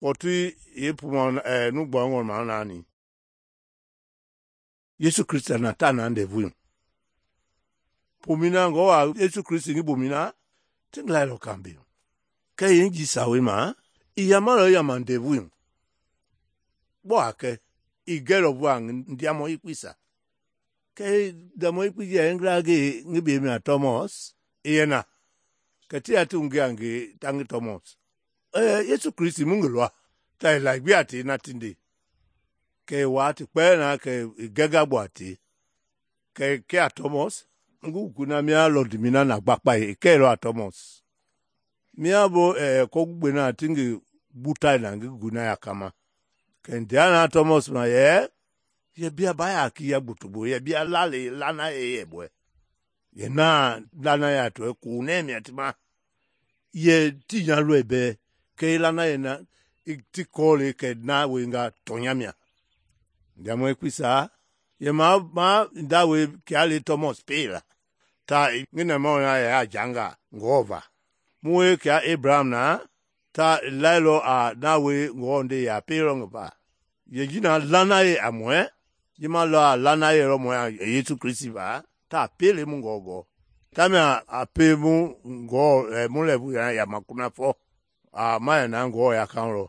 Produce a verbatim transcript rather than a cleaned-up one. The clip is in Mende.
kpɔtui yeepuma ɛɛ nu gbɔngɔ ma naani Yesu Kristi na ta na ndɛvui pomina ngɔ wa Yesu Kristi ngi bomina ti nglailɔ kambe kɛ yenji sawe ma i yamalɔ yama ndɛvui gbɔ a kɛ i gɛlɔ vua ndiamɔ yekpeisa kɛ ndiamɔ yekpe ji yɛ ngla ngi ngi be mia Thomas i yɛ na kɛ ti ya ti ngi a ngi ta ngi Thomas ɛɛ Yesu Kristi mu ngi lɔa ta i la gbi a te na tinde kɛ wa ti kpɛɛ na kɛ i gɛga gbɔ a te kɛ kɛ a Thomas ngi guna mia lɔndimina na gbakpa i kɛilɔ a Thomas mia bo ɛɛ kɔgugbe na ti ngi butai na ngi guna ya kama kɛ ndia na Thomas ma yɛ yɛ bia ba ya ki ya gbotogbo yɛ bia lale lana ye yɛ bɔɛ yɛ na lana ya to ko ne mia ti ma yɛ ti nya lɔɛ bɛ kɛ lana yɛ na ti kɔle kɛ na wenga tɔnya mia ndiamɔ yekpeisa yɛ ma ma nda we kia le Thomas pela ta ngi na ma ya ya janga ngɔva mu we kia Abraham na ta lailɔ a na we ngɔ nde ya pelɔ ngva ye jina lana ye a mɔɛ ye ma lɔ a lana ye lɔ mɔɛ Yesu Kristi va ta pele mu ngɔgɔ ta mia a pe mu ngɔ ɛ mu lɛ bu ya ya ma kuna fɔ a ma ya na ngɔ ya kan lɔ